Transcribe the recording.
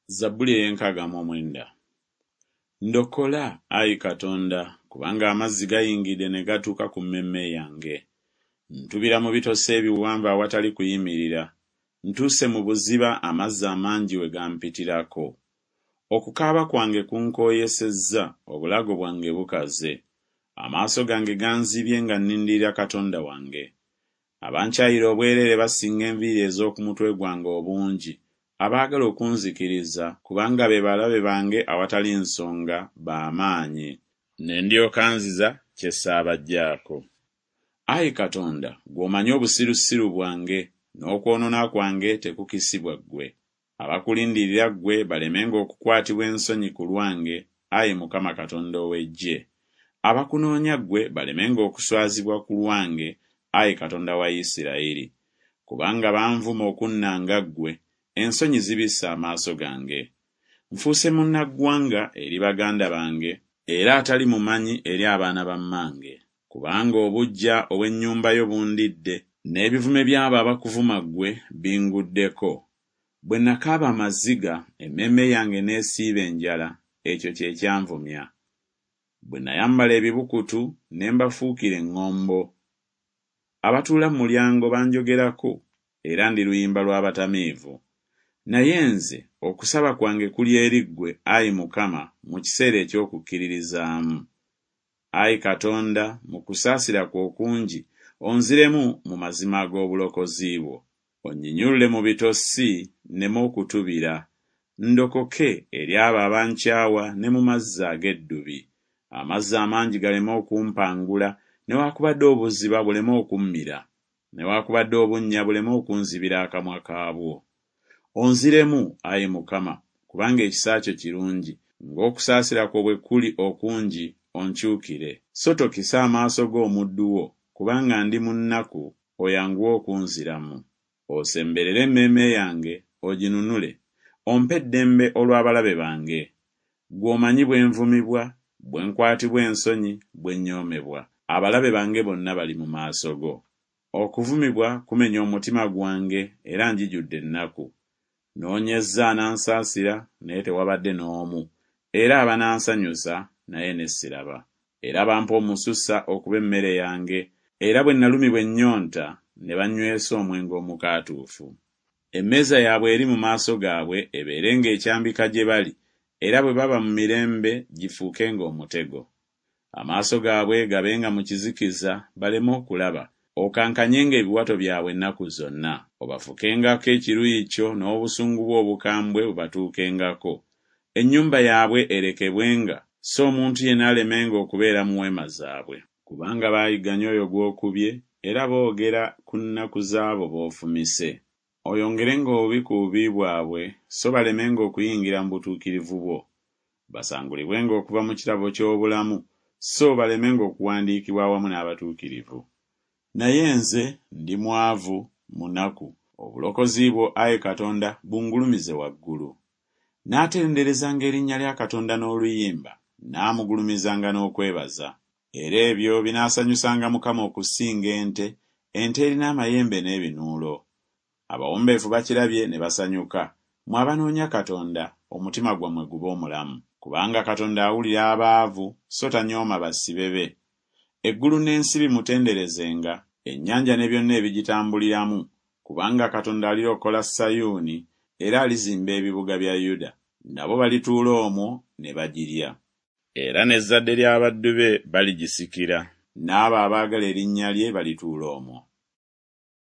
Zabbuli ey'enkaaga mu omwenda. Ndokola, ayi Katonda, kubanga amazzi gayingidde ne gatuuka ku mmeeme yange. Ntubira mu bitosi ebiwanvu awatali kuyimirira, ntuuse mu buziba amazzi amangi we gampitirako. Okukaaba kwange kunkooyesezza, obulago bwange bukaze. Amaaso gange ganzibye nga nnindirira Katonda wange. Abankyayira obwereere basinga enviiri ez'oku mutwe gwange obungi, abaagala okunzikiriza, kubanga be balabe bange awatali nsonga, ba maanyi. Ne ndyoka nziza kye saabaggyaako. Ayi Katonda, ggwe omanyi obusirusiru bwange, n'okwonoona kwange tekukisibwa ggwe. Abakulindirira ggwe balemenga okukwatibwa ensonyi ku lwange, ayi Mukama Katonda ow'Eggye. Abakunoonya ggwe balemenga okuswazibwa ku lwange, ayi Katonda wa Isirayiri. Kubanga banvuma okunnanga ggwe, ensonyi zibisse amaaso gange. Nfuuse munnaggwanga eri baganda bange, era atali mumanyi eri abaana ba mmange. Kubanga obuggya obw'ennyumba yo bundidde, n'ebivume by'abo abakuvuma ggwe binguddeko. Bwe nakaaba amaziga, emmeeme yange n'esiiba enjala, ekyo kye kyanvumya. Bwe nayambala ebibukutu, ne mbafuukira eŋŋombo. Abatuula mu mulyango banjogerako, era ndi luyimba lw'abatamiivu. Naye nze, okusaba kwange kuli eri ggwe, ayi Mukama, mu kiseera eky'okukkiririzaamu. Ayi Katonda, mu kusaasira kwo okungi, onziremu mu mazima ag'obulokozi bwo. Onnyinyulule mu bitosi, nneme okutubira, ndokoke eri abo abankyawa ne mu mazzi ag'eddubi. Amazzi amangi galeme okumpangula, newaakubadde obuziba buleme okummira, newaakubadde obunnya buleme okunzibira akamwa kaabwo. Onziremu, ayi Mukama, kubanga ekisa kyo kirungi, ng'okusaasira kwo bwe kuli okungi, onkyukire. So tokisa amaaso go omuddu wo, kubanga ndi mu nnaku, oyanguwe okunziramu. Osemberere emmeeme yange, oginunule, ompe eddembe olw'abalabe bange. Ggwe omanyi bwe nvumibwa, bwe nkwatibwa ensonyi, bwe nnyoomebwa, abalabe bange bonna bali mu maaso go. Okuvumibwa kumenya omutima gwange, era njijudde ennaku. Nnoonyezza anansaasira, naye tewabadde n'omu, era abanansanyusa, naye ne siraba. Era bampa omususa okuba emmere yange, era bwe nalumibwa ennyonta, ne bannywesa omwenge omukaatuufu. Emmeeza yaabwe eri mu maaso gaabwe ebeerenga ekyambika gye bali, era bwe baba mu mirembe gifuukenga omutego. Amaaso gaabwe gabenga mu kizikiza, baleme okulaba, okankanyenga ebiwato byabwe ennaku zonna. Obafukengako ekiruyi kyo n'obusungu bwo obukambwe bubatuukengako. Ennyumba yaabwe erekebwenga, so omuntu yenna alemenga okubeera mu weema zaabwe. Kubanga baayigganya oyo gw'okubye, era boogera ku nnaku z'abo b'ofumise. Oyongerenga obubi ku bubi bwabwe, so balemenga okuyingira mu butuukirivu bwo. Basangulibwenga okuva mu kitabo ky'obulamu, so balemenga okuwandiikibwa awamu n'abatuukirivu. Naye nze ndi mwavu, munaku, obulokozi bwo, ayi Katonda, bungulumize waggulu. Naatenderezanga erinnya lya Katonda n'oluyimba, naamugulumizanga n'okwebaza. Era ebyo binaasanyusanga Mukama okusinga ente, ente erina amayembe n'ebinuulo. Abawombeefu bakirabye ne basanyuka, mmwe abanoonya Katonda, omutima gwammwe gube omulamu. Kubanga Katonda awulira abaavu, so tanyooma basibe be. Eggulu n'ensi bimutenderezenga, ennyanja ne byonna ebigitambuliramu, kubanga Katonda alirokola Sayuuni, era alizimba ebibuga bya Yuda, nabo balituula omwo ne bagirya. Era n'ezzadde ly'abaddu be baligisikira, n'abo abaagala erinnya lye balituula omwo.